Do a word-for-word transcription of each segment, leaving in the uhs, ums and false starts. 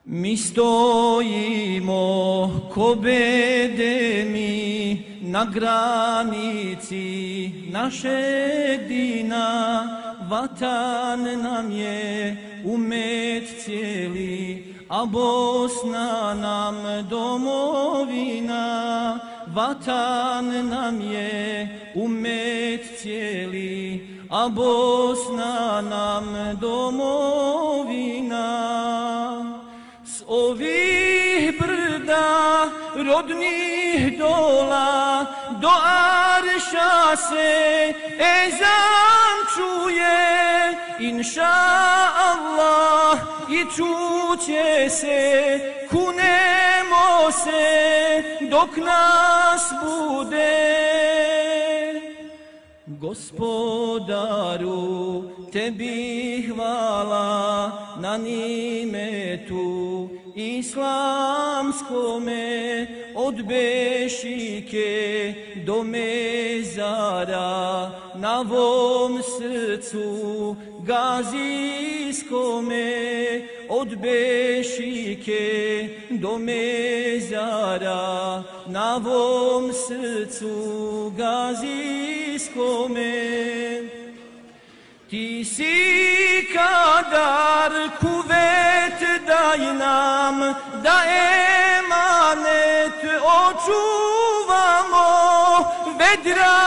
Mi stojimo ko bedemi na granici našeg dina, vatan nam je umet cijeli, a Bosna nam domovina. Vatan nam je umet cijeli, a Bosna nam domovina. S ovih brda rodnih dola do Arša se ezan čuje, inša Allah, i čuće se, kunemo se dok nas bude. Gospodaru, tebi hvala na nimetu islamskome, od Bešike do mezara na vom srcu gazijskome, od Bešike do mezara na vom srcu gazijskome. Ti si kadar kuvet, daj nam da emanet očuvamo, vedra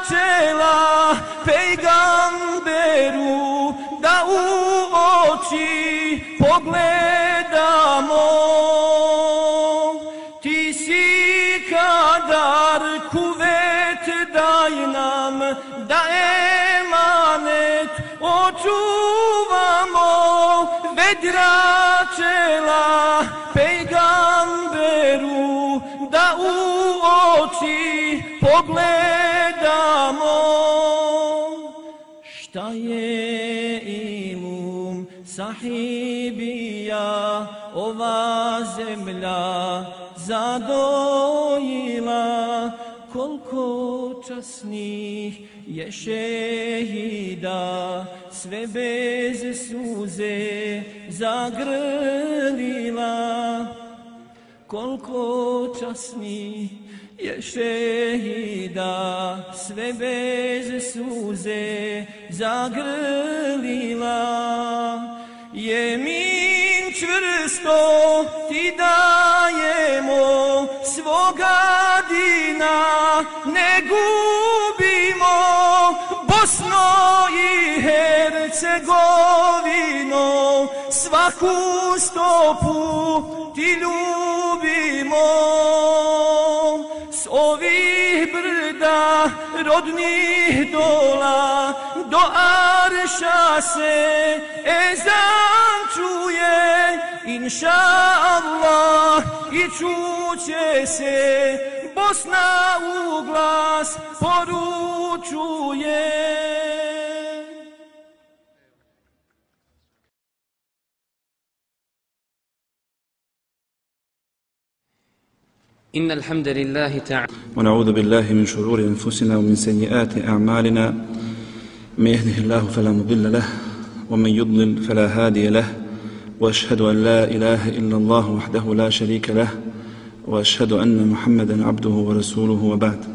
čela pejgamberu da u oči pogledamo. Ti si kadar kuvet, daj nam da emanet očuvamo, vedra čela pejgamberu da u oči pogledamo. Šta je ilum sahibija ova zemlja zadojila, koliko časnih je šehida sve bez suze zagrlila. Koliko časnih je šehida sve bez suze zagrlila. Jemin čvrsto ti dajemo, svoga dina ne gubimo, Bosno i Hercegovino, svaku stopu ti ljubimo. S ovih brda rodnih dola do Arša se ezan čuje, inša Allah, i čuće se, Bosna u glas poručuje. إن الحمد لله تعالى ونعوذ بالله من شرور أنفسنا ومن سيئات أعمالنا، من يهده الله فلا مضل له ومن يضلل فلا هادي له، وأشهد أن لا إله إلا الله وحده لا شريك له، وأشهد أن محمدا عبده ورسوله، وبعد.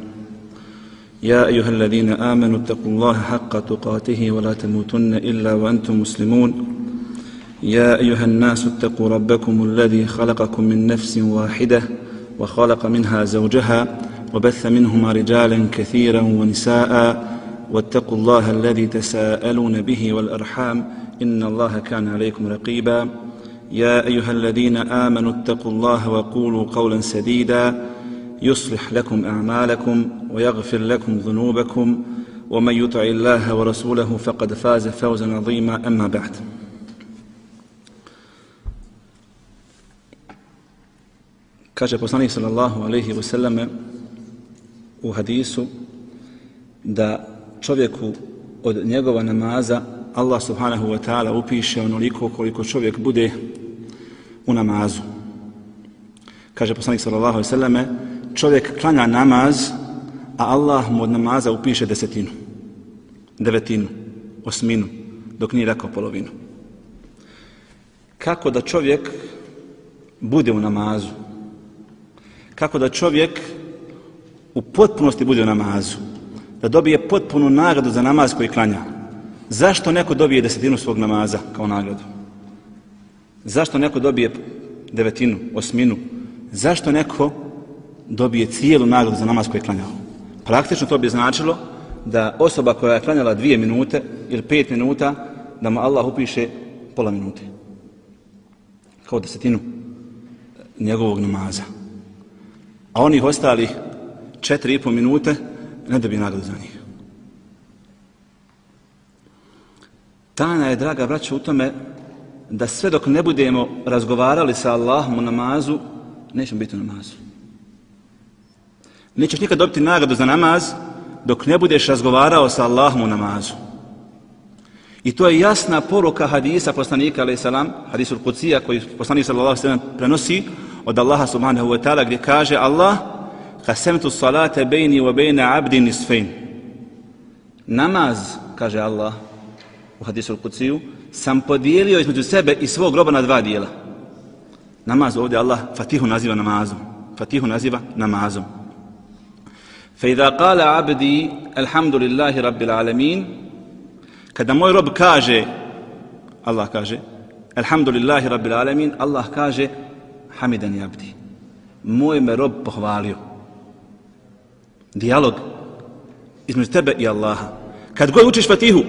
يا أيها الذين آمنوا اتقوا الله حق تقاته ولا تموتن إلا وأنتم مسلمون. يا أيها الناس اتقوا ربكم الذي خلقكم من نفس واحدة وخلق منها زوجها وبث منهما رجالا كثيرا ونساء، واتقوا الله الذي تساءلون به والأرحام إن الله كان عليكم رقيبا. يا أيها الذين آمنوا اتقوا الله وقولوا قولا سديدا يصلح لكم أعمالكم ويغفر لكم ذنوبكم، ومن يطع الله ورسوله فقد فاز فوزا عظيما. أما بعد. Kaže poslanik sallallahu alejhi ve selleme u hadisu da čovjeku od njegova namaza Allah subhanahu wa ta'ala upiše onoliko koliko čovjek bude u namazu. Kaže poslanik sallallahu alejhi ve selleme, čovjek klanja namaz, a Allah mu od namaza upiše desetinu, devetinu, osminu, dok nije rekao polovinu. Kako da čovjek bude u namazu. Kako da čovjek u potpunosti bude u namazu. Da dobije potpunu nagradu za namaz koji klanja. Zašto neko dobije desetinu svog namaza kao nagradu? Zašto neko dobije devetinu, osminu? Zašto neko dobije cijelu nagradu za namaz koji je klanjao? Praktično to bi značilo da osoba koja je klanjala dvije minute ili pet minuta, da mu Allah upiše pola minute. Kao desetinu njegovog namaza. A onih ostalih četiri i pol minute ne dobije nagradu za njih. Tajna je, draga braćo, u tome da sve dok ne budemo razgovarali sa Allahom u namazu, nećemo biti u namazu. Nećeš nikad dobiti nagradu za namaz dok ne budeš razgovarao sa Allahom u namazu. I to je jasna poruka hadisa poslanika alejhi selam, hadisul Kudsija koji poslanik sallallahu alejhi ve sellem prenosi od Allaha subhanahu wa ta'ala, gdje kaže Allah: "Qasamtu salata bayni wa bayna 'abdi nisfayn." Namaz, kaže Allah u hadisul Kudsiju, sam podijelio između sebe i svog roba na dva dijela. Namaz ovdje Allah Fatihu naziva namazom. Fatihu naziva namazom. فَإِذَا قَالَ عَبْدِي الْحَمْدُ لِلَّهِ رَبِّ الْعَالَمِينَ. Kada moj rob kaže, Allah kaže, Alhamdulillahi Rabbil Alamin, Allah kaže, Hamidani abdi. Moj me rob pohvalio. Dijalog između tebe i Allaha. Kad god učiš Fatihu,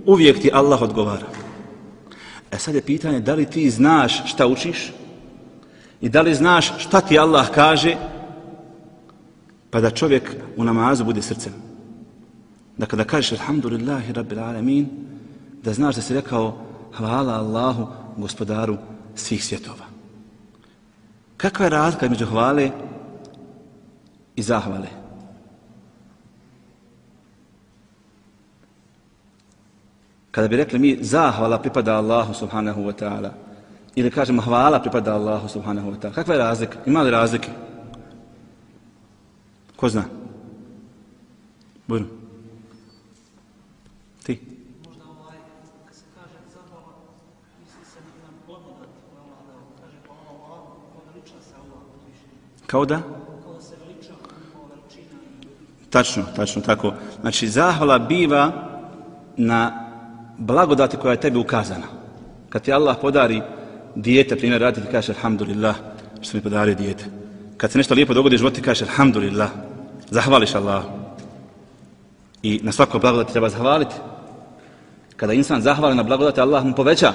uvijek ti Allah odgovara. E sad je pitanje, da li ti znaš šta učiš i da li znaš šta ti Allah kaže, pa da čovjek u namazu bude srcem. Da kada kažeš Alhamdulillahi Rabbil Alamin, da znaš da si rekao hvala Allahu, gospodaru svih svjetova. Kakva je razlika između hvale i zahvale? Kada bi rekli mi zahvala pripada Allahu subhanahu wa ta'ala ili kažemo hvala pripada Allahu subhanahu wa ta'ala, kakva je razlika? Ima li razlike? Ko zna? Bujno. Ti? Možda ovaj, kad se kaže zahvala, misli se na blagodat Allah dao. Kaže pa Allah, veliča se Allah uzvišenje. Kao da? Kao da se veliča njegova veličina. Tačno, tačno tako. Znači, zahvala biva na blagodati koja je tebi ukazana. Kad ti Allah podari dijete, primjer radi, ti kažeš Alhamdulillah što mi podario dijete. Kad se nešto lijepo dogodi u životu, ti kažeš Alhamdulillah. Zahvališ Allah. I na svako blagodati treba zahvaliti. Kada insan zahvali na blagodati, Allah mu poveća.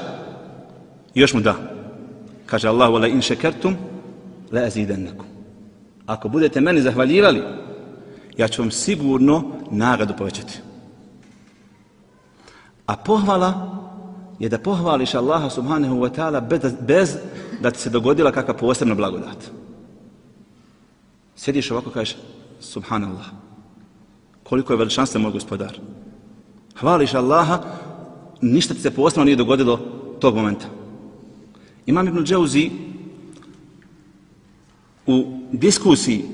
I još mu da. Kaže Allah: "Wala in shakartum la azidannakum." Ako budete meni zahvaljivali, ja ću vam sigurno nagradu povećati. A pohvala je da pohvališ Allaha subhanahu wa ta'ala bez, bez da ti se dogodila kakva posebna blagodat. Sjediš ovako, kažeš Subhanallah. Koliko je veličanstven moj gospodar. Hvališ Allaha, ništa ti se posebno nije dogodilo tog momenta. Imam Ibn Džauzi u diskusiji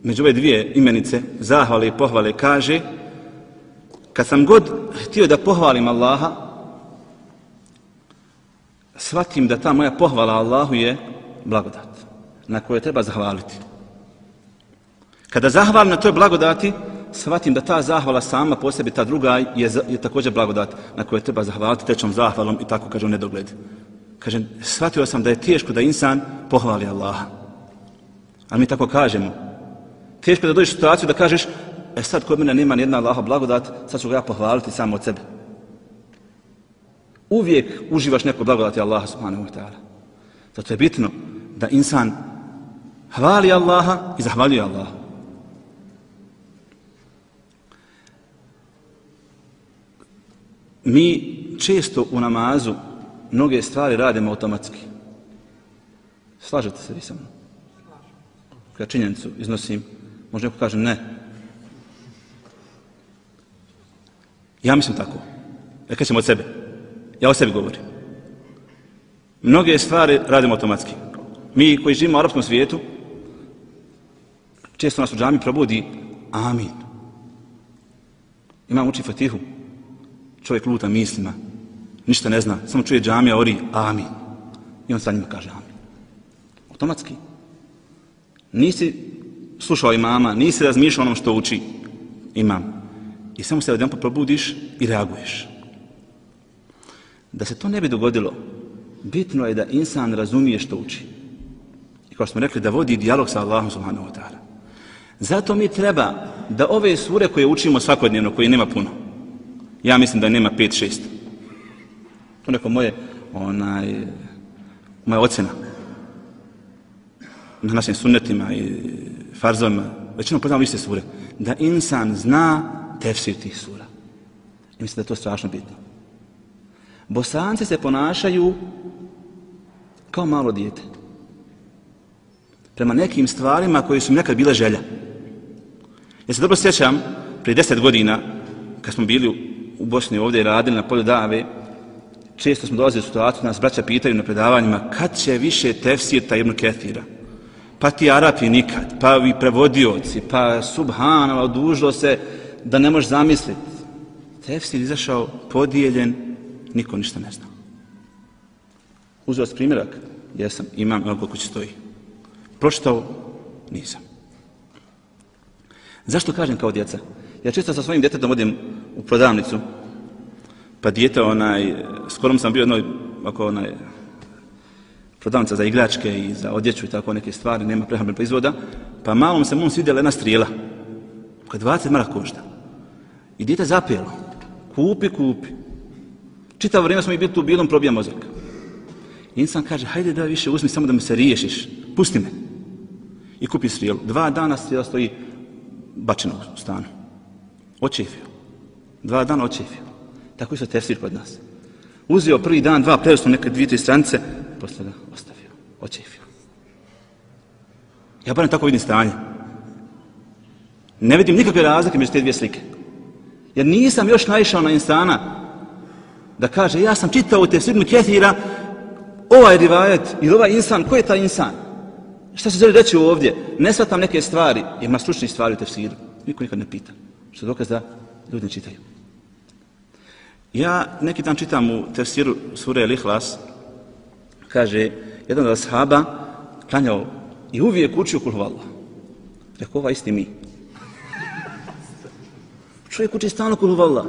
među ove dvije imenice, zahvale i pohvale, kaže: kad sam god htio da pohvalim Allaha, shvatim da ta moja pohvala Allahu je blagodat na kojoj treba zahvaliti. Kada zahvalim na toj blagodati, shvatim da ta zahvala sama po sebi, ta druga je, je također blagodat na kojoj treba zahvaliti tečnom zahvalom i tako kaže u nedogled. Kaže, shvatio sam da je teško da insan pohvali Allaha. Ali mi tako kažemo. Teško da dođeš u situaciju da kažeš, e sad kod mene nema nijedna Allaha blagodat, sad ću ga ja pohvaliti samo od sebe. Uvijek uživaš neko blagodati Allaha subhanahu wa ta'ala. Zato je bitno da insan hvali Allaha i zahvaljuje Allaha. Mi često u namazu mnoge stvari radimo automatski. Slažete se vi sa mnom? Kada činjenicu iznosim, možda neko kaže ne. Ja mislim tako. Ja kažem od sebe. Ja o sebi govorim. Mnoge stvari radimo automatski. Mi koji živimo u arapskom svijetu, često nas u džami probudi amin. Imam uči Fatihu. Čovjek luta mislima. Ništa ne zna. Samo čuje džamija, ori amin. I on sa njima kaže amin. Automatski. Nisi slušao imama, nisi razmišljao onom što uči imam. I samo se odjedanput probudiš i reaguješ. Da se to ne bi dogodilo, bitno je da insan razumije što uči. I kao smo rekli, da vodi dijalog sa Allahom subhanahu wa ta'ala. Zato mi treba da ove sure koje učimo svakodnevno, koje nema puno, ja mislim da nema pet, šest. To neko moje, onaj, moja ocjena. Na našim sunnetima i farzovima, većinom poznamo iste sure. Da insan zna tefsir tih sura. I mislim da je to strašno bitno. Bosanci se ponašaju kao malo dijete. Prema nekim stvarima koji su mi nekad bile želja. Ja se dobro sjećam, prije deset godina, kad smo bili u Bosni ovdje i radili na polju dave, često smo dolazili u situaciju, nas braća pitaju na predavanjima, kad će više tefsirta Ibn Kethira? Pa ti Arapi nikad, pa vi prevodioci, pa subhanallah, odužilo se da ne možeš zamisliti. Tefsir izašao podijeljen, niko ništa ne zna. Uzeo sam primjerak, jesam, imam, evo koliko će stoji. Pročitao, nisam. Zašto kažem kao djeca? Ja često sa svojim djetetom odem u prodavnicu, pa dijete, onaj, skoro sam bio jednoj, ako onaj, prodavnica za igračke i za odjeću i tako neke stvari, nema prehrambenih proizvoda, pa malom se mom svidjela jedna strijela, koja dvadeset maraka košta. I dijete zapelo, kupi, kupi. Čitavo vrijeme smo i bili tu bilom, probija mozak. I insan kaže, hajde da više uzmi samo da me se riješiš, pusti me. I kupi strijelu. Dva dana strijela stoji bačena u stanu. Očefio. Dva dana očefio. Tako je se tefsir kod nas. Uzeo prvi dan, dva, preusno neke dvije, tri stranice, posle ga ostavio. Očefio. Ja barem tako vidim stanje. Ne vidim nikakve razlike među te dvije slike. Jer nisam još naišao na insana da kaže, ja sam čitao u tefsir Ibn Kethira, ovaj rivajet ili ovaj insan, ko je taj insan? Šta se želi reći ovdje? Ne shvatam neke stvari, ima stručnih stvari u tefsiru. Niko nikad ne pita. Što je dokaz da ljudi ne čitaju. Ja neki dan čitam u tefsiru sure Al-Ihlas, kaže, jedan od ashaba klanjao i uvijek učio kul huvallah. Rekao, ova isti mi. Čovjek uči stalno kul huvallah.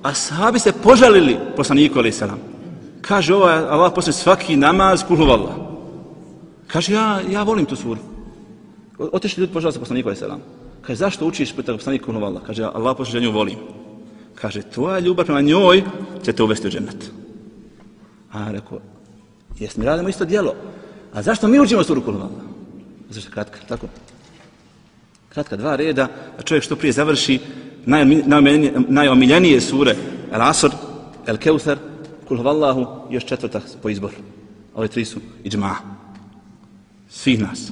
Ashabi se požalili poslaniku alejhi selam. Kaže, ovo je Allah posle svaki namaz kul huvallah. Kaže, ja, ja volim tu suru. Otišli ljudi požalili se poslaniku alejhi selam. Kaže, zašto učiš puta poslaniku kul huvallah? Kaže, Allah posle nju volim. Kaže, tvoja ljubav prema njoj će te uvesti u džennet. A rekao, jes mi radimo isto djelo. A zašto mi učimo suru kul huvallah? Zašto kratka, tako? Kratka, dva reda, a čovjek što prije završi najomiljenije sure Al-Asr, Al-Keuthar, kul huvallahu, još četvrta po izboru. Ove tri su iđma. Svih nas.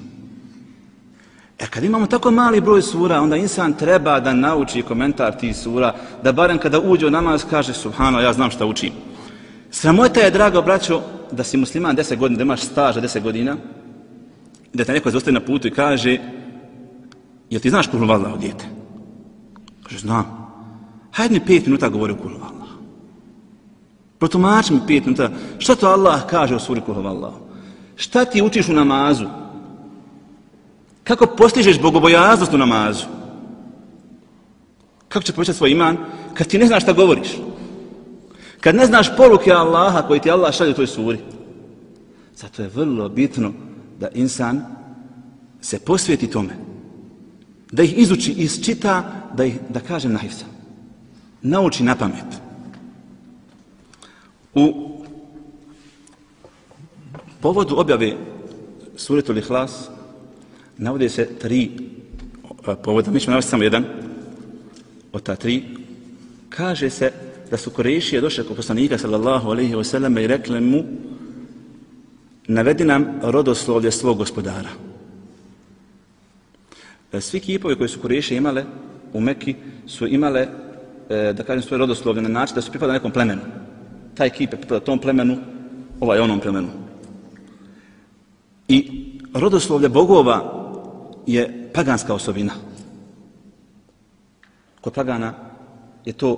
E kad imamo tako mali broj sura, onda insan treba da nauči komentar tih sura, da barem kada uđe u namaz kaže subhano, ja znam šta učim. Sramota je, drago braćo, da si musliman deset godina, da imaš staža deset godina, i da te neko zostaje na putu i kaže, jel ti znaš kul huvallahu, dijete? Kaže, znam. Hajde mi pet minuta govori o kul huvallahu. Protumači mi pet minuta. Šta to Allah kaže o suri kul huvallahu? Šta ti učiš u namazu? Kako postižeš bogobojaznost u namazu? Kako će povećati svoj iman kad ti ne znaš šta govoriš? Kad ne znaš poruke Allaha koji ti Allah šalje u toj suri? Zato je vrlo bitno da insan se posvijeti tome. Da ih izuči, isčita, da ih, da kažem, nahifza. Nauči na pamet. U povodu objave suretul Ihlas navode se tri povoda, mi ćemo navesti samo jedan od ta tri. Kaže se da su Kurejšije došli kod poslanika sallallahu alejhi ve sellem i rekli mu, navedi nam rodoslovlje svog gospodara. Svi kipovi koji su Kurejšije imale u Mekki su imale, da kažem, svoje rodoslovlje na način da su pripadali nekom plemenu. Taj kip je pripada tom plemenu, ovaj onom plemenu. I rodoslovlje bogova je paganska osobina. Kod pagana je to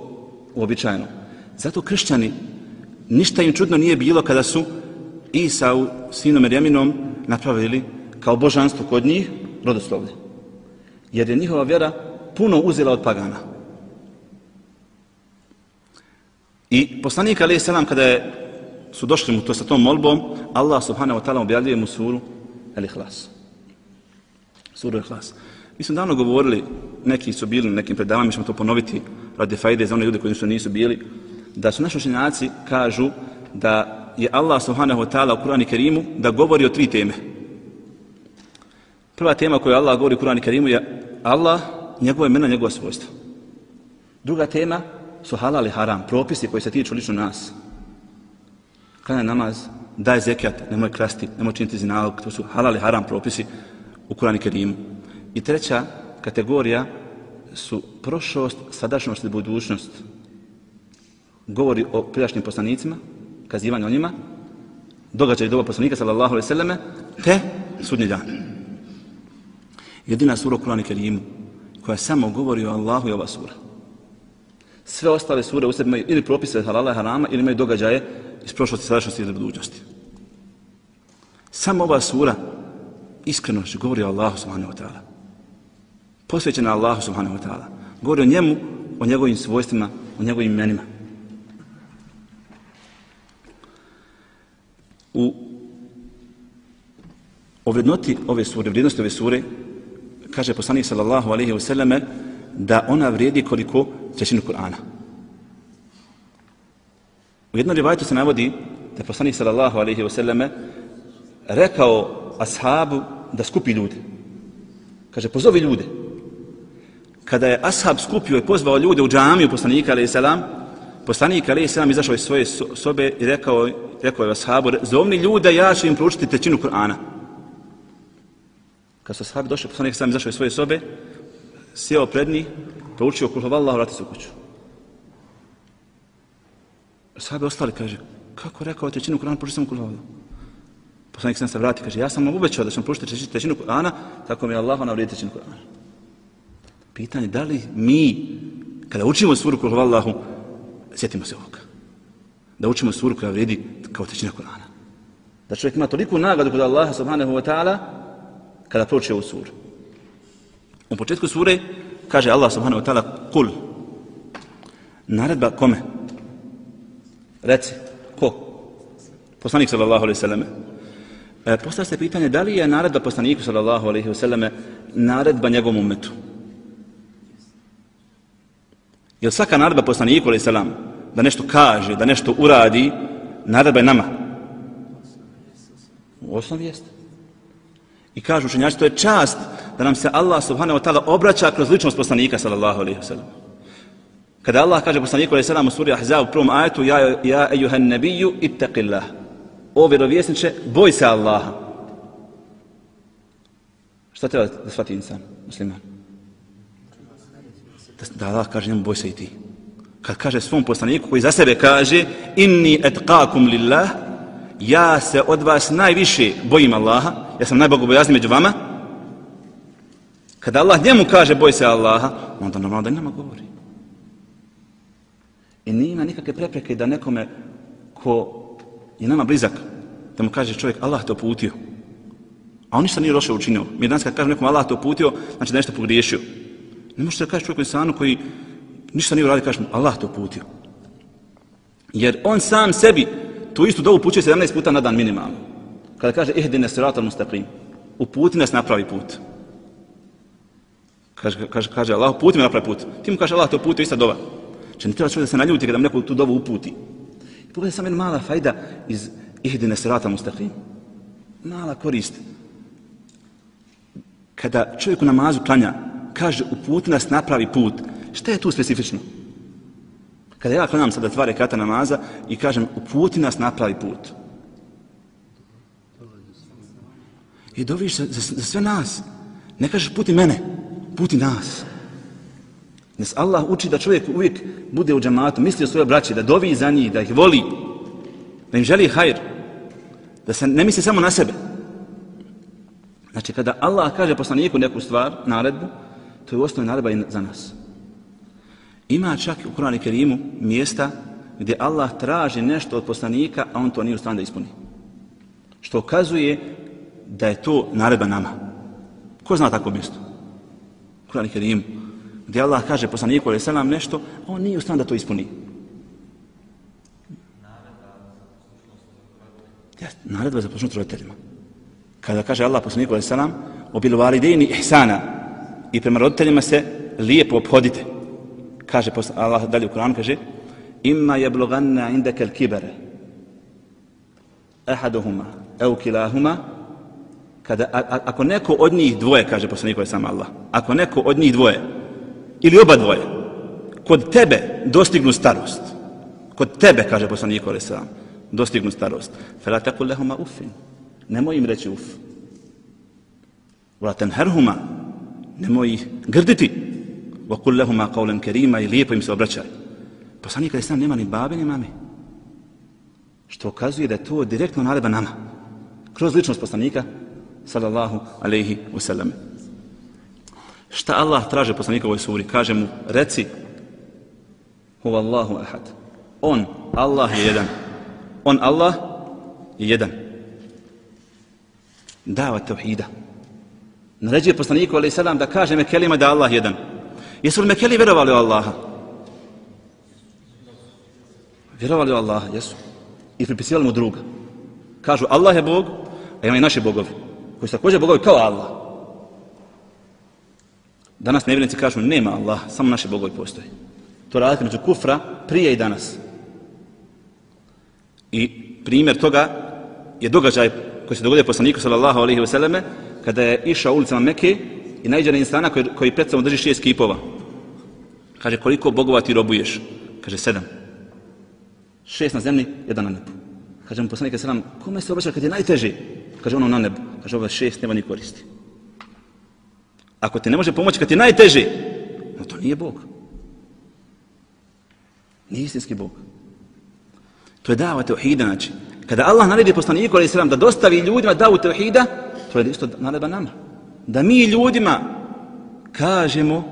uobičajeno. Zato kršćani, ništa im čudno nije bilo kada su Isa u sinu Merjeminom napravili kao božanstvo kod njih rodoslovlje. Jer je njihova vjera puno uzela od pagana. I poslanik alejhi selam kada je, su došli mu to sa tom molbom, Allah subhanahu wa ta'ala objavljuje mu suru Al-Ihlas. Suru Al-Ihlas. Mi smo davno govorili, neki su bili na nekim predavanjima, mi ćemo to ponoviti radi fajde za one ljude koji su nisu bili, da su naši učenjaci kažu da je Allah subhanahu wa ta'ala u Kur'anu Kerimu da govori o tri teme. Prva tema koju Allah govori u Kur'anu Kerimu je Allah, njegove imena, njegova svojstva. Druga tema su halal i haram, propisi koji se tiču lično nas. Klanja namaz, daj zekijat, nemoj krasti, nemoj činiti zinalog, to su halal i haram propisi u Kur'anu Kerimu. I treća kategorija su prošlost, sadašnjost i budućnost. Govori o prijašnjim poslanicima, kazivanje o njima, događaj doba poslanika sallallahu alejhi ve selleme, te sudnji dan. Jedina sura u Kur'anu Kerimu koja samo govori o Allahu je ova sura. Sve ostale sure u sebi imaju ili propise halala i harama ili imaju događaje iz prošlosti, sadašnjosti ili budućnosti. Samo ova sura iskreno govori o Allahu subhanahu wa ta'ala. Posvećena Allahu subhanahu wa ta'ala. Govori o njemu, o njegovim svojstvima, o njegovim imenima. U o vrednoti ove sure, vrijednosti ove sure, kaže poslanik sallallahu alejhi ve selleme da ona vrijedi koliko trećinu Kur'ana. U jednom rivajetu se navodi da je poslanik sallallahu alejhi ve selleme rekao ashabu da skupi ljude. Kaže, pozovi ljude. Kada je ashab skupio i pozvao ljude u džamiju poslanika alejhi selam, poslanik alejhi selam izašao iz svoje sobe i rekao, rekao je ashabu, zovni ljude, ja ću im proučiti trećinu Kur'ana. Kad su ashabi došli, poslanik sam izašao iz svoje sobe, sjeo pred njih, proučio kul huvallahu, vrati se u kuću. Ashabi ostali, kaže, kako rekao trećinu Kur'ana, prouči samo kul huvallahu. Poslanik sam se vrati, kaže, ja sam vam obećao da ću vam proučiti trećinu Kur'ana, tako mi je Allah navredi trećinu Kur'ana. Pitanje, da li mi, kada učimo suru kul huvallahu, sjetimo se ovoga? Da učimo suru koja vredi kao trećina Kur'ana. Da čovjek ima toliku nagradu kod Allaha subhanahu wa ta'ala, kada prouči ovu suru. U početku sure kaže Allah subhanahu wa ta'ala kul. Naredba kome? Reci, ko? Poslanik sallallahu alejhi ve selleme. E, postavlja se pitanje da li je naredba poslaniku sallallahu alejhi ve selleme naredba njegovom ummetu. Jer svaka naredba poslaniku alejhi selam da nešto kaže, da nešto uradi, naredba je nama. U osnovi jeste. I kažu učenjaci, to je čast da nam se Allah subhanahu wa ta'ala obraća kroz ličnost poslanika sallallahu alejhi ve sellem. Kada Allah kaže poslaniku alejhi selam u suri Ahzab u prvom ajetu, ja, ja ejuhan nabiju ittaqillah. O vjerovjesniče, boj se Allaha. Šta treba da shvati insan, musliman? Da Allah kaže njemu, boj se i ti. Kad kaže svom poslaniku koji za sebe kaže, inni etqakum lillah, ja se od vas najviše bojim Allaha, ja sam najbogobojazniji među vama. Kada Allah njemu kaže boj se Allaha, onda normalno da nama govori. I nima nikakve prepreke da nekome ko je nama blizak, da mu kaže čovjek Allah te uputio. A on ništa nije loše učinio. Mi danas kad kažem nekom Allah te uputio, znači da nešto pogriješio. Ne možete da kažeš čovjeku insanu koji ništa nije uradio, kažeš mu Allah te uputio. Jer on sam sebi tu istu dovu upućuje sedamnaest puta na dan minimalno. Kada kaže ihdine siratal mustaqim, uputi nas na pravi put. Kaže, kaže, kaže Allah, uputi me na pravi put. Ti mu kaže Allah te uputio, ista dova. Če ne treba čovjek da se naljuti kada mu neko tu dovu uputi. I pogledaj sam jedna mala fajda iz ihdine siratal mustaqim. Mala korist. Kada čovjek u namazu klanja, kaže uputi nas na pravi put. Šta je tu specifično? Kada ja klanjam sada dva rekata namaza i kažem uputi nas na pravi put. I doviš za, za, za sve nas. Ne kažeš puti mene, puti nas. Nes Allah uči da čovjek uvijek bude u džamatu, misli o svoje braći, da dovi za njih, da ih voli, da im želi hajr, da se ne misli samo na sebe. Znači kada Allah kaže poslaniku neku stvar, naredbu, to je u osnovi naredba i za nas. Ima čak u Kur'anu Kerimu mjesta gdje Allah traži nešto od poslanika, a on to nije u stanju da ispuni. Što ukazuje da je to naredba nama. Ko zna takvo mjesto? Kur'an Kerim, gdje Allah kaže poslaniku alejhi selam nešto, a on nije u stanju da to ispuni. Naredba za poslušnost roditeljima. Kada kaže Allah poslaniku alejhi selam, obil validejni ihsana, i prema roditeljima se lijepo ophodite. Kaže Allah dalje u Kur'anu, kaže imma yablughanna indaka al-kibara ahaduhuma aw kilahuma, kada a, a, ako neko od njih dvoje, kaže poslanik alejhi selam Allah, ako neko od njih dvoje ili oba dvoje kod tebe dostignu starost, kod tebe, kaže poslanik alejhi selam, dostignu starost, fala taqul lahuma uffin, nemoj im reći uf, wala tanharhuma, nemoj ih grditi, wa qul lahuma qawlan karima, i lijepo im se obraćaj. Poslanik alejhi selam nema ni babe ni mame, što ukazuje da je to direktno naredba nama kroz ličnost poslanika sallallahu alejhi ve sellem. Šta Allah traže poslanika u ovoj suri? Kaže mu, reci huvallahu ahad, on, Allah je jedan, on, Allah je jedan. Dava tauhida. Naređuje poslaniku alejhi selam da kaže Mekelima da Allah je jedan. Jesu li Mekeli vjerovali u Allaha? Vjerovali u Allaha, jesu. I pripisivali mu druga. Kažu Allah je Bog, a ima i naši bogovi, koji su također bogovi kao Allah. Danas nevjernici kažu nema Allah, samo naši bogovi postoje. To razlika među kufra prije i danas. I primjer toga je događaj koji se dogodio poslaniku sallallahu alejhi ve selleme kada je išao ulicama Mekke i naiđe na insana koji, koji pred sobom drži šest kipova. Kaže, koliko bogova ti robuješ? Kaže, sedam. Šest na zemlji, jedan na nebu. Kaže mu poslanik sallam, kome se obraća kad je najteže? Kaže, ono na nebu. Kaže, ovo šest nema ni koristi. Ako te ne može pomoći kad je najteže, no to nije Bog. Nije istinski Bog. To je dava tauhida, znači. Kada Allah naredi poslaniku alejhi selam da dostavi ljudima davu tauhida, to je isto naredba nama. Da mi ljudima kažemo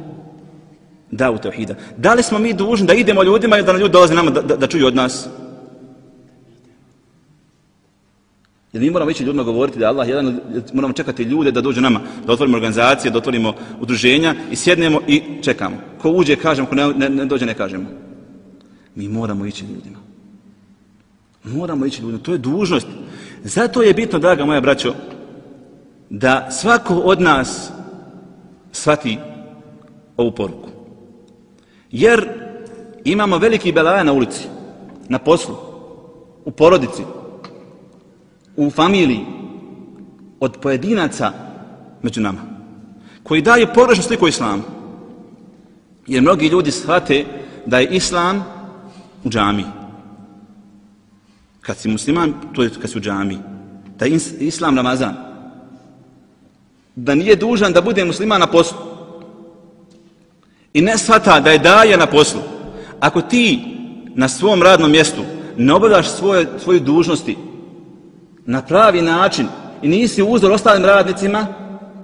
davu tauhida. Da li smo mi dužni da idemo ljudima ili da ljudi dolaze nama da, da, da čuju od nas? Jer mi moramo ići ljudima govoriti da Allah jedan, moramo čekati ljude da dođu nama, da otvorimo organizacije, da otvorimo udruženja i sjednemo i čekamo. Ko uđe kažemo, ko ne, ne, ne dođe ne kažemo. Mi moramo ići ljudima. Moramo ići ljudima, to je dužnost. Zato je bitno, draga moja braćo, da svako od nas shvati ovu poruku. Jer imamo veliki belaja na ulici, na poslu, u porodici, u familiji, od pojedinaca među nama, koji daju pogrešnu sliku islamu. Jer mnogi ljudi shvate da je islam u džamiji. Kad si musliman, to je kad si u džamiji. Da je islam Ramazan. Da nije dužan da bude musliman na poslu. I ne shvata da je daja na poslu. Ako ti na svom radnom mjestu ne obavljaš svoje, svoju dužnosti na pravi način i nisi uzor ostalim radnicima,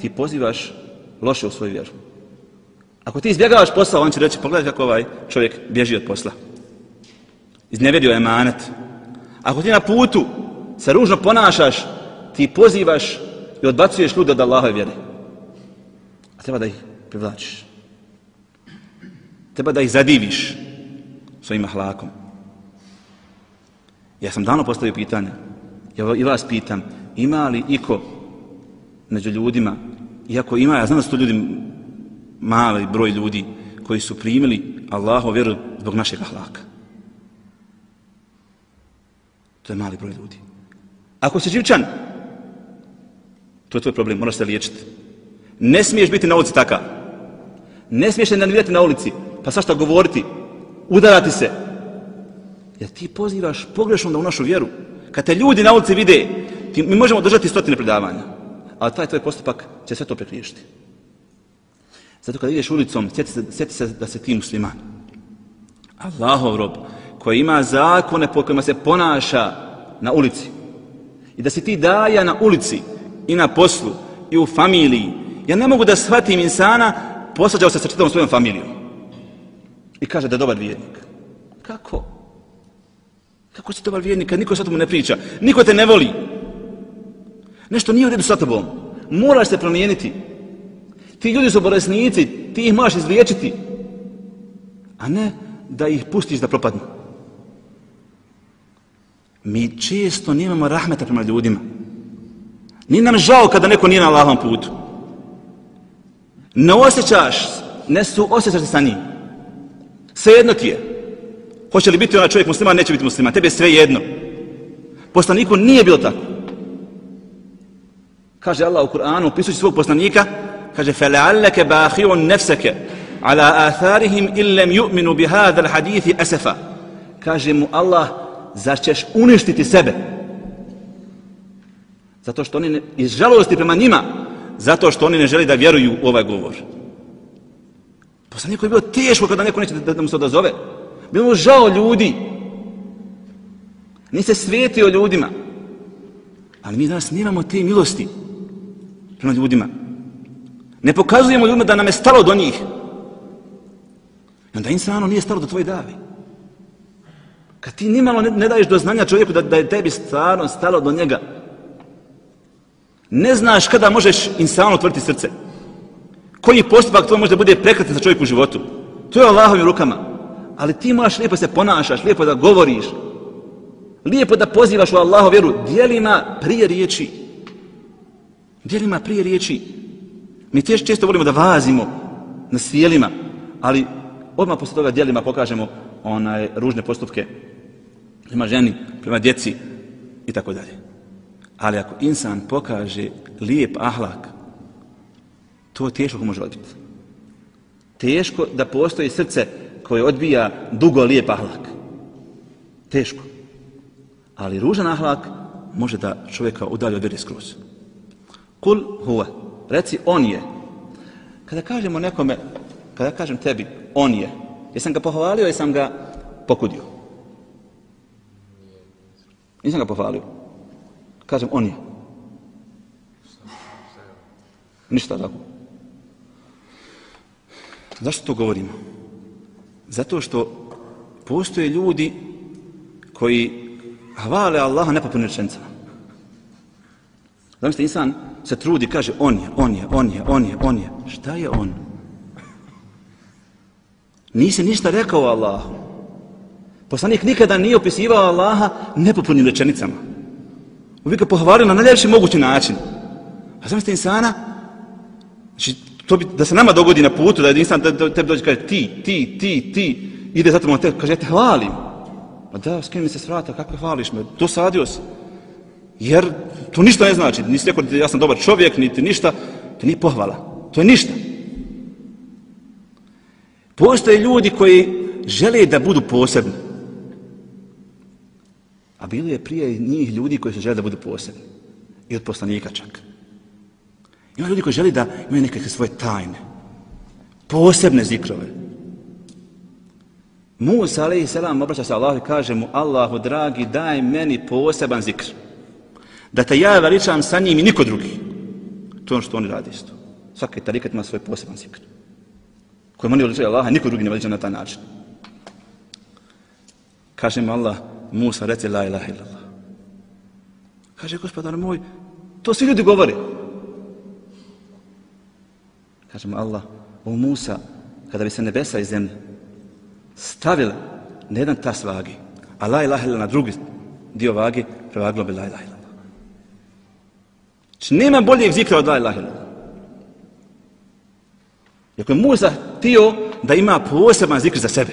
ti pozivaš loše u svoju vjeru. Ako ti izbjegavaš posao, on će reći, pogledaj kako ovaj čovjek bježi od posla. Iznevjerio je emanet. Ako ti na putu se ružno ponašaš, ti pozivaš i odbacuješ ljude od Allahove vjere. A treba da ih privlačiš. Treba da ih zadiviš svojim ahlakom. Ja sam davno postavio pitanje. Ja i vas pitam, ima li iko među ljudima, iako ima, ja znam da su to ljudi, mali broj ljudi, koji su primili Allahovu vjeru zbog našeg ahlaka. To je mali broj ljudi. Ako si živčan, to je tvoj problem, moraš se liječiti. Ne smiješ biti na ulici takav. Ne smiješ se nervirati na ulici, pa svašta govoriti, udarati se. Jer ti pozivaš pogrešno da u našu vjeru. Kad te ljudi na ulici vide, ti, mi možemo držati stotine predavanja, ali taj tvoj postupak će sve to prekriješiti. Zato kad ideš ulicom, sjeti se, sjeti se da se ti musliman. Allahov rob, koji ima zakone po kojima se ponaša na ulici. I da si ti daja na ulici i na poslu i u familiji. Ja ne mogu da shvatim insana, posvađao se sa čitavom svojom familijom. I kaže da je dobar vjernik. Kako? Kako si dobar vjernik kad niko sa tomu ne priča? Niko te ne voli. Nešto nije u redu sa tobom. Moraš se promijeniti. Ti ljudi su bolesnici, ti ih možeš izliječiti. A ne da ih pustiš da propadnu. Mi često nemamo rahmeta prema ljudima. Nije nam žao kada neko nije na Allahovom putu. Ne osjećaš, ne su osjećaš sa njim. Svejedno ti je. Hoće li biti onaj čovjek musliman, neće biti musliman. Tebi je sve jedno. Poslaniku nije bilo tako. Kaže Allah u Kur'anu, opisujući svog poslanika, kaže فَلَعَلَّكَ بَاخِعٌ نَفْسَكَ عَلَى آثَارِهِمْ إِنْ لَمْ يُؤْمِنُوا بِهَذَا الْحَدِيثِ أَسَفًا. Kaže mu Allah, zar ćeš uništiti sebe? Zato što oni ne, iz žalosti prema njima, zato što oni ne žele da vjeruju u ovaj govor. Poslaniku je bilo teško kada neko neće da, da mu se odazove. Bilo mu žao ljudi. Nije se svetio ljudima. Ali mi danas nemamo te milosti prema ljudima. Ne pokazujemo ljudima da nam je stalo do njih. I onda insano nije stalo do tvoje davi. Kad ti nimalo ne, ne daješ do znanja čovjeku da, da je tebi stvarno stalo do njega, ne znaš kada možeš insano otvoriti srce. Koji postupak tvoj može da bude prekratan za čovjeku u životu. To je Allahovim rukama. Ali ti možeš lijepo se ponašaš, lijepo da govoriš, lijepo da pozivaš u Allahu vjeru, djelima prije riječi. Djelima prije riječi. Mi teško često volimo da vazimo na svijelima, ali odmah posle toga djelima pokažemo onaj ružne postupke prema ženi, prema djeci i tako dalje. Ali ako insan pokaže lijep ahlak, to teško može odbiti. Teško da postoji srce koje odbija dugo lijep ahlak. Teško. Ali ružan ahlak može da čovjeka udalji od vjere skroz. Kul huwa. Reci on je. Kada kažemo nekome, kada kažem tebi on je, jesam ga pohvalio, jesam ga pokudio? Nisam ga pohvalio. Kažem on je. Ništa tako. Zašto to govorimo? Zato što postoje ljudi koji hvale Allaha nepotpunim rečenicama. Zamislite, insan se trudi, kaže on je, on je, on je, on je, on je. Šta je on? Nisi ništa rekao o Allahu. Poslanik nikada nije opisivao Allaha nepotpunim rečenicama. Uvijek ga pohvalio na najljepši mogući način. A zamislite insana, znači, to bi, da se nama dogodi na putu, da je insan da tebi dođe kaže ti, ti, ti, ti, ide zato te, kaže ja te hvalim. A da, skini mi se s vrata, kako hvališ me, dosadio si. Jer to ništa ne znači, nisi rekao da ja sam dobar čovjek, niti ništa, to nije pohvala, to je ništa. Postoje ljudi koji žele da budu posebni. A bilo je prije njih ljudi koji se žele da budu posebni. I od poslanika čak. Ima ljudi koji žele da imaju nekakve svoje tajne. Posebne zikrove. Musa alejhi selam obraća se Allahu i kaže mu Allahu dragi daj meni poseban zikr. Da te ja veličam sa njim i niko drugi. To je ono što oni radi isto. Svaki tarikat ima svoj poseban zikr. Kojim oni veličaju Allaha, niko drugi ne veliča na taj način. Kaže mu Allah, Musa reci la ilaha illallah. Kaže gospodar moj, to svi ljudi govore. Kaže mu Allah, o Musa, kada bi se nebesa i zemlje stavili na jedan tas vagi, a la ilaha illallah na drugi dio vagi, prevaglo bi la ilaha illallah. Znači nema boljeg zikra od la ilaha illallah. Iako je Musa htio da ima poseban zikr za sebe,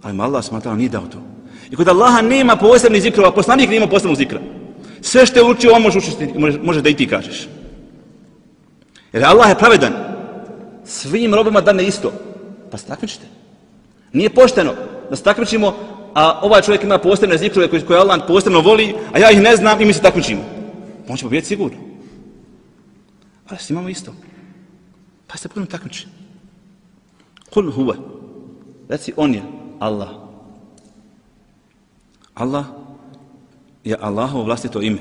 ali mu Allah smatrao nije dao to. I kod Allaha nema posebnih zikrova, poslanik nema posebnog zikra. Sve što je učio, on može učiti, može, može da i ti kažeš. Jer Allah je pravedan. Svim robima dane isto. Pa se takmičite. Nije pošteno da se takmičimo, a ovaj čovjek ima posebne zikrove koje, koje Allah posebno voli, a ja ih ne znam i mi se takmičimo. On će pobijeti sigurno. Ali svi imamo isto. Pa se budemo takmičiti. Kul huwa. Reci on je Allah. Allah je Allahovo vlastito ime.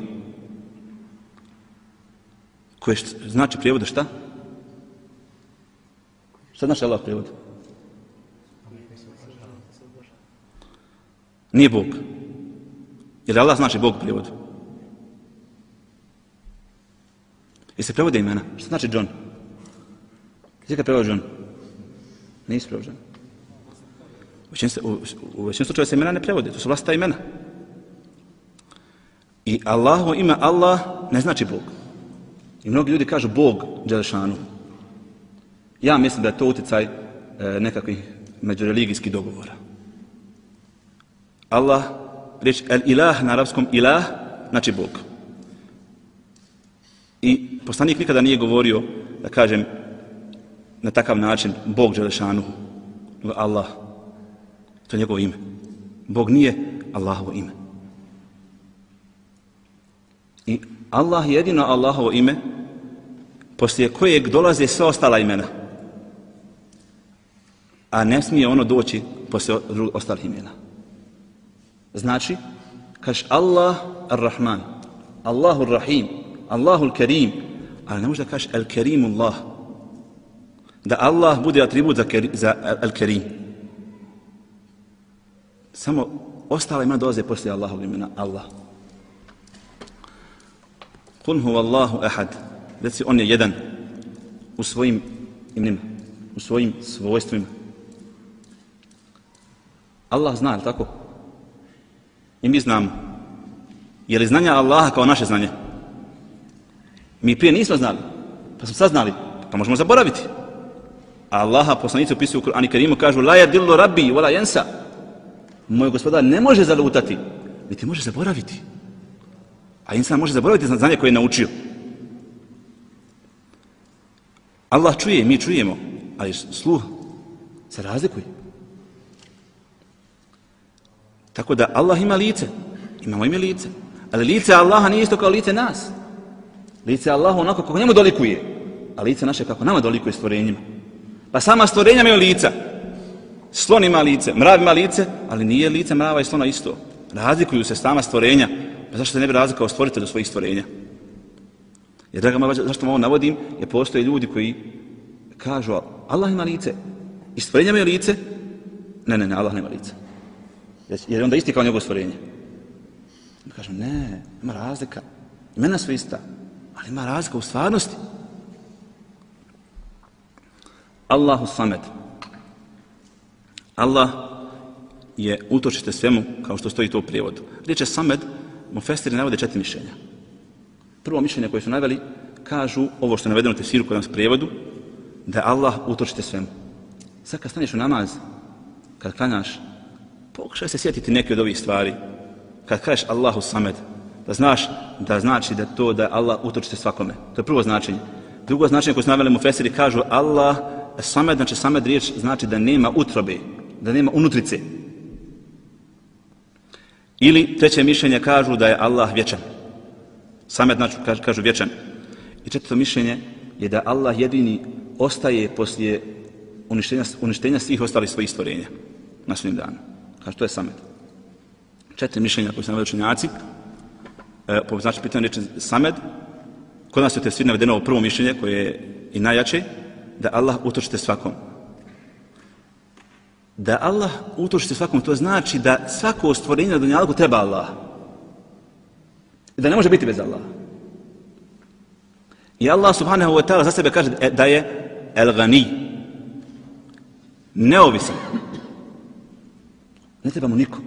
Koje znači prijevoda šta? Šta znači Allah prijevod? Nije Bog. Jer Allah znači Bog u prijevodu. I se prevode imena. Što znači John? Gdje ga prevode John? Nisu prevođeni. U većini slučaja se imena ne prevode, to su vlastita imena. I Allahovo ime Allah ne znači Bog. I mnogi ljudi kažu Bog Đelešanu. Ja mislim da je to utjecaj e, nekakvih međureligijskih dogovora. Allah, riječ el ilah na arapskom ilah, znači Bog. I poslanik nikada nije govorio, da kažem, na takav način Bog Đelešanu, nego Allah. To je njegovo ime. Bog nije Allahovo ime. I Allah je jedino Allahovo ime poslije kojeg dolaze sve ostala imena. A ne smije ono doći poslije ostalih imena. Znači, kažeš Allah ar-Rahman, Allahu ar-Rahim, Allahu al-Karim, ali ne može da kažeš al-Karimullah. Da Allah bude atribut za, za al-Karim. Samo ostala imena dolaze poslije Allahovog imena Allah. Kul huwa Allahu ahad. Reci on je jedan u svojim imenima, u svojim svojstvima. Allah zna, ali tako? I mi znamo. Je li znanje Allaha kao naše znanje? Mi prije nismo znali, pa smo sad znali, pa možemo zaboraviti. A Allaha poslanici opisuju u Kur'anu Kerimu, kažu la yadillu rabbi wala yansa. Moj gospodar ne može zalutati, niti može zaboraviti. A insan može zaboraviti znanje koje je naučio. Allah čuje, mi čujemo, ali sluh se razlikuje. Tako da Allah ima lice, imamo ime lice, ali lice Allaha nije isto kao lice nas. Lice Allaha onako kako njemu dolikuje, a lice naše kako nama dolikuje stvorenjima. Pa sama stvorenja imaju lica. Slon ima lice, mrav ima lice, ali nije lice mrava i slona isto. Razlikuju se sama stvorenja. Pa zašto se ne bi razlikao stvoritelj do svojih stvorenja? Jer, draga moja, zašto vam ovo navodim, je postoje ljudi koji kažu Allah ima lice i stvorenja imaju lice. Ne, ne, ne, Allah nema lice. Jer je onda isti kao njegovo stvorenje. Mi kažem, ne, ima razlika. Imena su ista, ali ima razlika u stvarnosti. Allahu samed. Allah je utočište svemu, kao što stoji to u prijevodu. Riječ je samed, mufestiri navode četiri mišljenja. Prvo mišljenje koje su naveli, kažu ovo što je navedeno u tefsiru kod nas prijevodu, da je Allah utočište svemu. Sad kad staneš u namaz, kad klanjaš, pokušaj se sjetiti neke od ovih stvari. Kad kažeš Allahu samed, da znaš da znači da to da je Allah utočište svakome. To je prvo značenje. Drugo značenje koje su naveli mufestiri kažu Allah samed, znači samed riječ znači da nema utrobe, da nema unutrice. Ili treće mišljenje kažu da je Allah vječan. Samed znači kažu, kažu vječan. I četvrto mišljenje je da Allah jedini ostaje poslije uništenja, uništenja svih ostalih svojih stvorenja na sudnjem danu. Kažu to je samed. Četiri mišljenja koje su naveli učenjaci, e, po znači pitanje riječi samed, kod nas je te svi navedeno ovo prvo mišljenje koje je i najjače, da Allah utočite svakom. Da Allah utočite svakom, to znači da svako stvorenje na dunjalku treba Allah. I da ne može biti bez Allaha. I Allah subhanahu wa ta'ala za sebe kaže da je el-gani. Neovisan. Ne treba mu niko.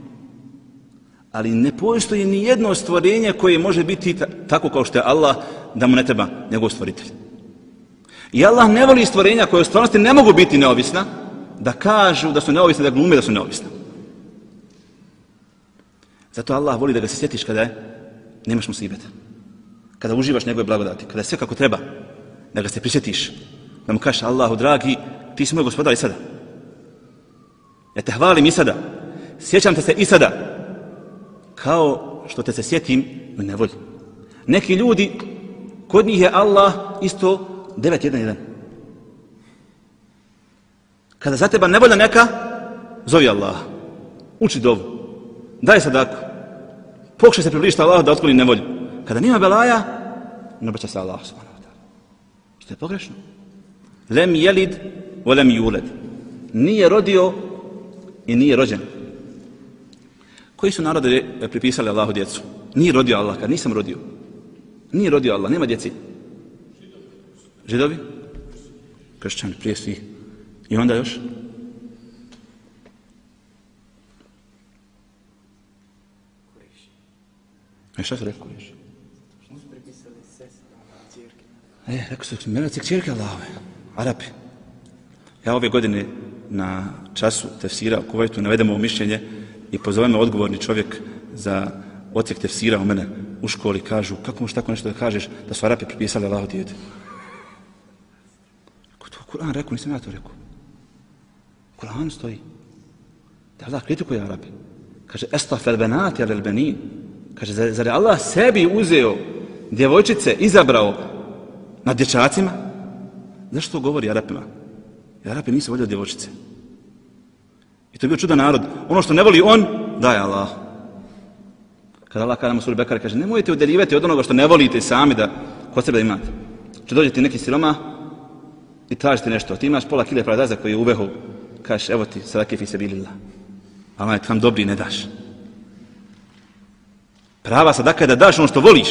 Ali ne postoji ni jedno stvorenje koje može biti tako kao što je Allah, da mu ne treba njegov stvoritelj. I Allah ne voli stvorenja koje u stvarnosti ne mogu biti neovisna, da kažu da su neovisne, da glume da su neovisne. Zato Allah voli da ga se sjetiš kada je, nemaš musibeta. Kada uživaš njegove blagodati, kada je sve kako treba, da ga se prisjetiš. Da mu kažeš Allahu dragi, ti si moj gospodar i sada. Ja te hvalim i sada. Sjećam te se i sada. Kao što te se sjetim u nevolji. Neki ljudi, kod njih je Allah isto devet jedan jedan. Kada za teba nevolja neka, zovi Allah. Uči dovu. Daj sadaku. Pokušaj se približiti Allahu da otkloni nevolju. Kada nima belaja, ne obraća se Allah subhanahu wa ta'ala. Što je pogrešno. Lem jelid, o lem juled. Nije rodio i nije rođen. Koji su narode pripisali Allahu djecu? Nije rodio Allah, kad nisam rodio. Nije rodio Allah, nema djeci. Židovi? Kršćani, prije svih. I onda još? E šta su rekao još? Što su prepisali sestra, ćerke? E, rekao su, mjeroci ćerke Allahove, Arapi. Ja ove godine na času tefsira u Kuvajtu navedemo ovo mišljenje i pozove me odgovorni čovjek za odsjek tefsira u mene u školi. Kažu, kako možeš tako nešto da kažeš da su Arapi prepisali Allahu dijete? Ko to Kur'an rekao, nisam ja to rekao. U Kur'anu stoji. Da Allah kritikuje Arapi. Kaže, estafel benati alel benin. Kaže, zar, zar je Allah sebi uzeo djevojčice, izabrao nad dječacima? Zašto to govori Arapima? Jer Arapi nisu voljeli djevojčice. I to je bio čudan narod. Ono što ne voli on, daje Allah. Kada Allah kada mu suri Bekara kaže, nemojte udeljivati od onoga što ne volite sami da kod sebe da imate. Če dođe ti neki siroma i traži ti nešto. Ti imaš pola kile paradaza koji je u vehu. Kažeš, evo ti, sadake fi sebilillah. A onaj tam dobri ne daš. Prava sadaka je da daš ono što voliš.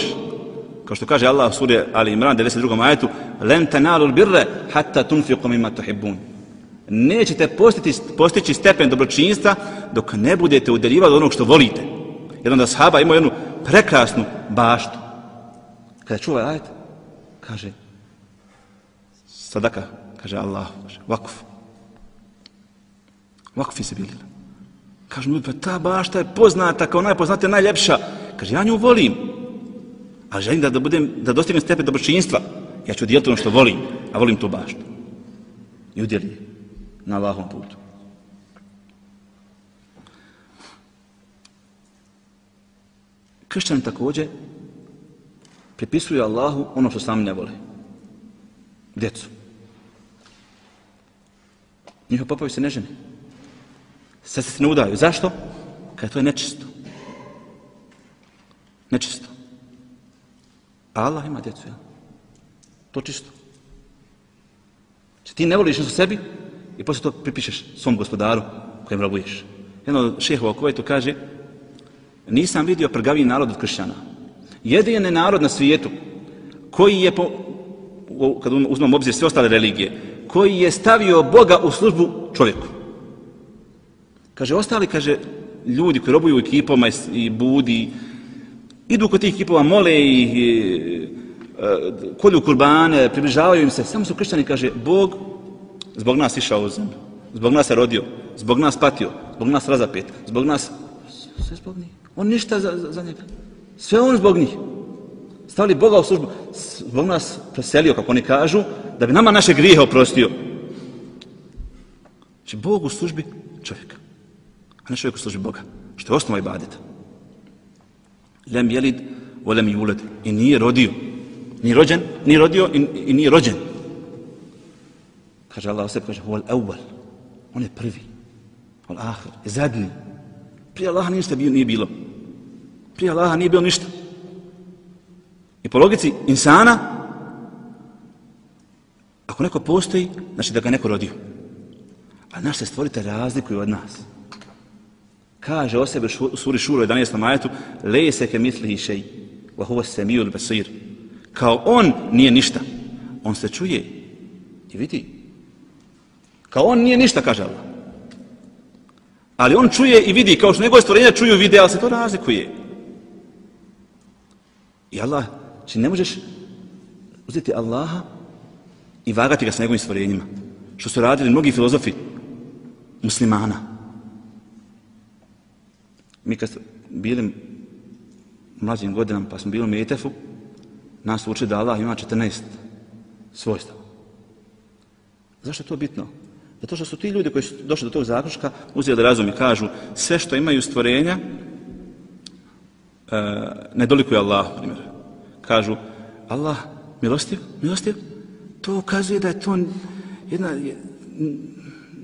Kao što kaže Allah u suri Ali Imran devedeset drugom ajetu, len tanalul birre hatta tunfiqu mimma tuhibbun. Nećete postići, postići stepen dobročinstva dok ne budete udeljivali od onog što volite. Jedan da sahaba imao jednu prekrasnu baštu. Kada čuva ajet, kaže sadaka, kaže Allah, kaže vakuf. Vakuf fi sebilillah. Kaže mu, pa ta bašta je poznata kao najpoznatija, najljepša. Kaže, ja nju volim, ali želim da, da, budem, da dostignem stepen dobročinstva. Ja ću udjeliti ono što volim, a volim tu baštu. I udjeli je na Allahovom putu. Kršćani također pripisuju Allahu ono što sami ne vole. Djecu. Njihovi popovi se ne žene. Sad se ne udaju. Zašto? Kad to je nečisto. Nečisto. A Allah ima djecu, ja? To čisto. Če ti ne voliš nešto sebi i poslije to pripišeš svom gospodaru kojem robuješ. Jedan od šehova u Kuvajtu kaže, nisam vidio prgaviji narod od kršćana. Jedini narod na svijetu koji je, po, kad uzmemo obzir sve ostale religije, koji je stavio Boga u službu čovjeku. Kaže, ostali, kaže, ljudi koji robuju u ekipama i, i budi, idu kod tih ekipova, mole i, i e, kolju kurbane, približavaju im se. Samo su kršćani, kaže, Bog zbog nas išao u zemlju, zbog nas je rodio, zbog nas patio, zbog nas razapet, zbog nas, sve zbog njih. On ništa za, za, za njega. Sve on zbog njih. Stavili Boga u službu, zbog nas preselio, kako oni kažu, da bi nama naše grijehe oprostio. Znači, Bog u službi čovjeka, a ne čovjek u službi Boga, što je osnova ibadeta. Lem jelid, o lem juled. I nije rodio. Nije rođen, nije rodio i, i nije rođen. Kaže Allah o sebi, kaže, huval evval. On je prvi. Huval ahir, je zadnji. Prije Allaha ništa nije bilo. Prije Allaha nije bilo ništa. I po logici insana, ako neko postoji, znači da ga neko rodio. A naš se stvorite razlikuju od nas. Kaže o sebi u suri Šura u jedanaestom ajetu, lejse ke mislihi šej, wa huwa semiul basir. Kao on nije ništa. On se čuje i vidi. Kao on nije ništa, kaže Allah. Ali on čuje i vidi, kao što njegove stvorenja čuju i vide, ali se to razlikuje. I Allah, či ne možeš uzeti Allaha i vagati ga sa njegovim stvorenjima. Što su radili mnogi filozofi muslimana. Mi kad bili u mlađim godinama, pa smo bili u Metefu, nas uči da Allah ima četrnaest svojstava. Zašto je to bitno? Zato što su ti ljudi koji su došli do tog zaključka uzeli razum i kažu sve što imaju stvorenja e, ne dolikuje Allah, primjer. Kažu Allah milostiv, milostiv, to ukazuje da je to jedna,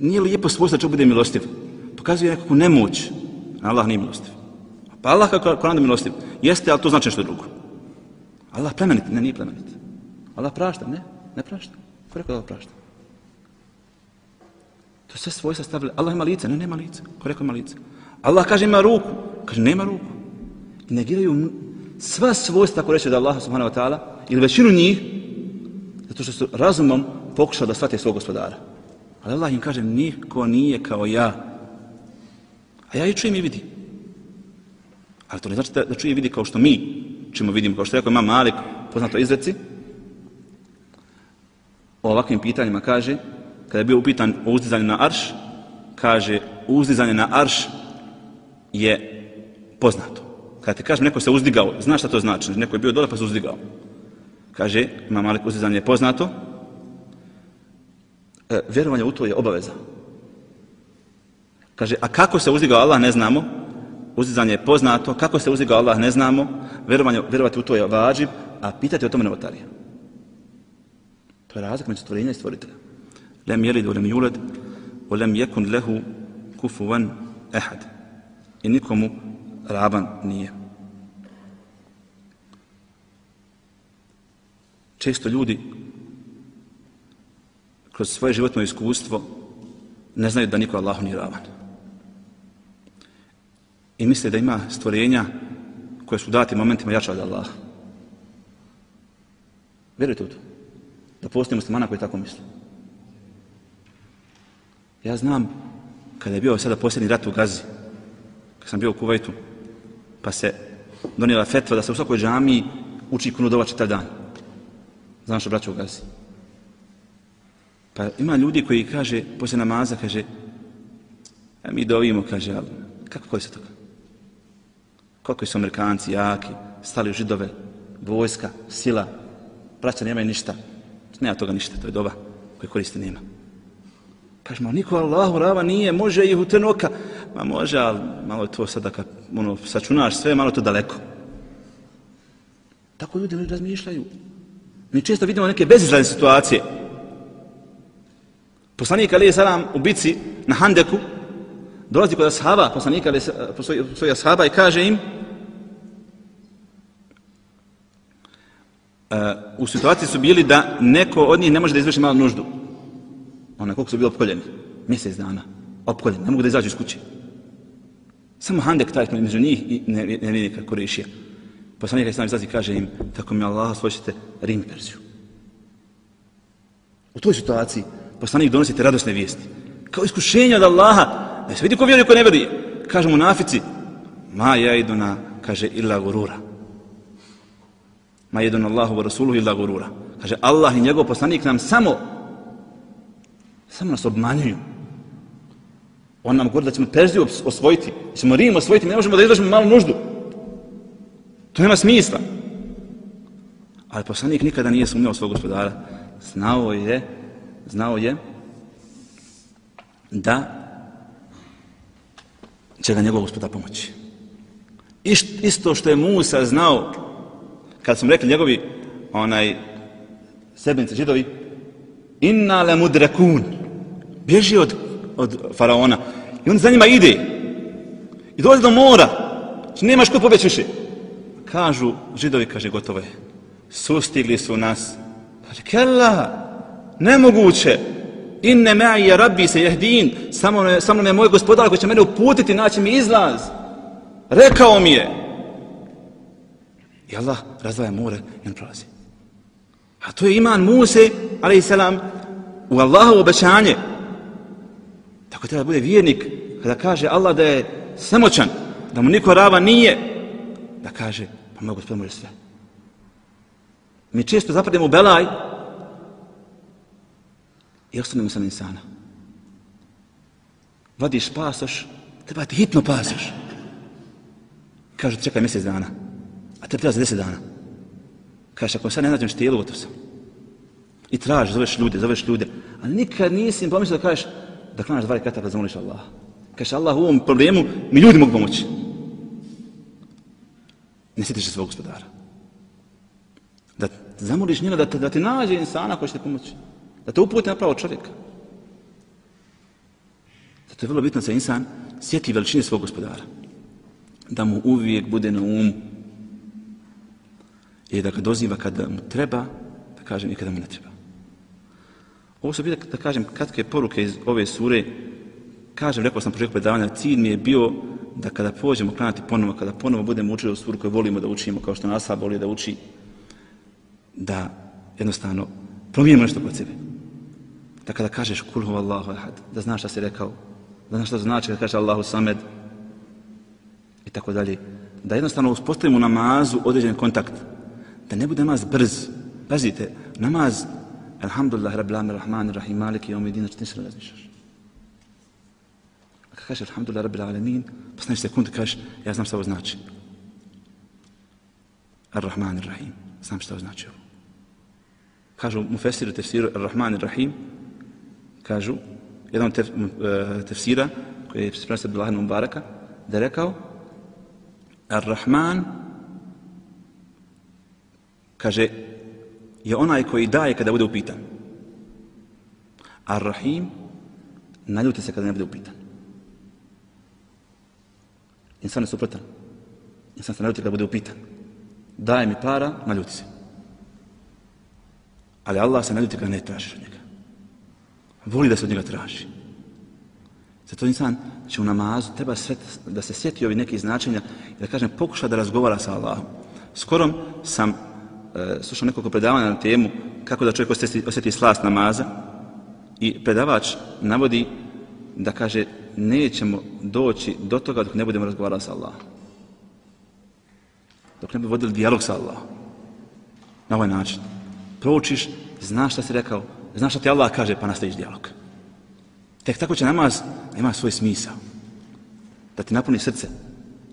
nije lijepo svojstvo da će bude milostiv. Pokazuje nekakvu nemoć. Allah nije milostiv. Pa Allah kako Koran da milostiv, jeste, ali to znači nešto drugo. Allah plemenit, ne, nije plemenit. Allah prašta, ne, ne prašta. Ko rekao da Allah prašta? To je sve svojstva stavili. Allah ima lice, ne, nema lice. Ko rekao ima lice? Allah kaže ima ruku, kaže nema ruku. I negiraju sva svojstva, ako reče da Allah subhanahu wa ta'ala, ili većinu njih, Zato što su razumom pokušali da shvate svog gospodara. Ali Allah im kaže, niko nije kao ja. A ja i čujem i vidim. Ali to ne znači da, da čuje i vidi kao što mi čujemo vidimo, kao što je rekao Imam Malik, poznato izreci, o ovakvim pitanjima kaže, kada je bio upitan o uzdizanju na arš, kaže, uzdizanje na arš je poznato. Kada ti kažem, neko se uzdigao, znaš šta to znači? Neko je bio dole pa se uzdigao. Kaže, Imam Malik, uzdizanje je poznato, e, vjerovanje u to je obaveza. Kaže, a kako se uzdigao Allah ne znamo, uzdizanje je poznato, kako se uzdigao Allah ne znamo, vjerovanje, vjerovati u to je vađib, a pitati o tome novotarija. To je razlika među stvorenja i stvoritelja. Lem jelid u lem juled, u lem jekun lehu kufuvan ehad. I nikomu raban nije. Često ljudi kroz svoje životno iskustvo ne znaju da niko Allahu nije ravan. I misle da ima stvorenja koje su dati momentima jača od Allaha. Vjerujte u to? Da postoji muslimana koji tako misle. Ja znam kada je bio sada posljednji rat u Gazi, kad sam bio u Kuvajtu, pa se donijela fetva da se u svakoj džamiji uči kunudova čitav dan. Znam što braća u Gazi. Pa ima ljudi koji kaže, poslije namaza, kaže, a mi dovimo, kaže, ali kako koji se toga? Koliko su Amerikanci jaki, stali u židove, vojska, sila, braća nemaju ništa. Nema toga ništa, to je doba koje koriste nema. Kaže, ma niko Allahu rava nije, može ih u tren oka. Ma može, ali malo je to sada kad ono, sačunaš sve, malo je to daleko. Tako ljudi razmišljaju. Mi često vidimo neke bezizrazne situacije. Poslanik alejhi selam u bici na Handeku dolazi kod ashaba, poslanika po svojih ashaba i kaže im uh, u situaciji su bili da neko od njih ne može da izvrši malu nuždu. Ona koliko su bili opkoljeni. Mjesec dana. Opkoljeni. Ne mogu da izađu iz kuće. Samo Handek taj među njih i nevjernika Kurešija. Poslanik alejhi selam izlazi i kaže im, tako mi Allah osvojite Rim i Perziju. U toj situaciji poslanik donosite radosne vijesti. Kao iskušenje od Allaha. Da se vidi ko vjeruje, ko ne vjeruje. Kažu munafici, ma jaiduna, kaže, illa gurura. Ma jaiduna Allahu wa rasuluhu illa gurura. Kaže, Allah i njegov poslanik nam samo, samo nas obmanjuju. On nam govori da ćemo Perziju osvojiti, da ćemo Rim osvojiti, mi ne možemo da izvršimo malu nuždu. To nema smisla. Ali poslanik nikada nije sumnjao svog gospodara. Znao je, znao je da će ga njegov gospodar pomoći. Isto što je Musa znao, kad smo rekli njegovi onaj sebenici židovi, inna le mudrekun, bježi od, od faraona. I on za njima ide. I dolazi do mora. Nemaš ko pobjeći više. Kažu židovi, kaže, gotovo je. Sustigli su nas. Kaže, kella, nemoguće. Inne ma'i rabbi se jehdin. Samo, samo me moj gospodar koji će mene uputiti, naći mi izlaz. Rekao mi je. I Allah razdvaja more i on prolazi. A to je iman Muse, alejhi selam, u Allahovo obećanje. Tako treba da bude vjernik kada kaže Allah da je svemoćan, da mu niko rava nije, da kaže, pa moj gospodar može sve. Mi često zapademo u belaj i ostanemo sam insana. Vadiš pasoš, treba ti hitno pasoš. Kažu, čekaj mjesec dana, a te treba za deset dana. Kažeš, ako sad ne nađem štijelu, gotov sam. I tražiš, zoveš ljude, zoveš ljude, a nikad nisi pomislio da kažeš, da klanaš dva rekata da zamoliš Allaha. Kažeš, Allah, u ovom problemu mi ljudi mogu pomoći. Ne sjetiš se svog gospodara. Da zamoliš njega da, da ti nađe insana koji će te pomoći. Da te uputi na pravo čovjeka. Zato je vrlo bitno da se insan sjeti veličine svog gospodara. Da mu uvijek bude na umu. I da ga doziva kada mu treba, da kažem i kada mu ne treba. Ovo su bile, da kažem, kratke poruke iz ove sure. Kažem, rekao sam početku predavanja, cilj mi je bio da kada pođemo klanjati ponovo, kada ponovo budemo učili u suru koju volimo da učimo, kao što nas voli da uči, da jednostavno Promijenimo nešto kod sebe. Da kada kažeš kul huvallahu ahad, da znaš šta si rekao, da znaš šta znači kada kažeš Allahu samed i tako dalje. Da jednostavno uspostavimo u namazu određen kontakt. Da ne bude namaz brz. Pazite, namaz, alhamdulillah, rabbil alamin, rahman, rahim, maliki, yawmiddin, znači ti se razmišljaš. A kad kažeš alhamdulillah, rabbil alamin, posneš sekundi kažeš, ja znam šta ovo znači. Ar-Rahman, Ar-Rahim, znam šta ovo znači ovo. Kažu mufesiru tefsiru Ar-Rahman, Ar-Rahim, kažu, jedan od tef, uh, tefsira, koji je prenosio Abdullah ibn Mubaraka, da je rekao, Ar-Rahman, kaže, je onaj koji daje kada bude upitan. Ar-Rahim, naljuti se kada ne bude upitan. Insan je suprotan. Insan se naljuti kada bude upitan. Daje mi para, naljuti se. Ali Allah se naljuti kada ne tražiš od njega. Voli da se od njega traži. Zato insan, znači u namazu, treba sve, da se sjeti ovi neki značenja i da kažem, pokuša da razgovara sa Allahom. Skoro sam e, slušao nekoliko predavanja na temu kako da čovjek osjeti, osjeti slast namaza i predavač navodi da kaže, nećemo doći do toga dok ne budemo razgovarali sa Allahom. Dok ne bi vodili dijalog sa Allahom. Na ovaj način. Proučiš, znaš šta si rekao, znaš šta ti Allah kaže, pa nastaviš dijalog. Tek tako će namaz ima svoj smisao. Da ti napuni srce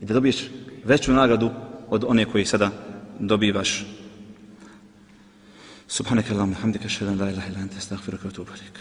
i da dobiješ veću nagradu od one koji sada dobivaš. Subhanaka Allahumma hamdika, ashhadu an la ilaha illa anta, astaghfiruka wa atubu ilaik.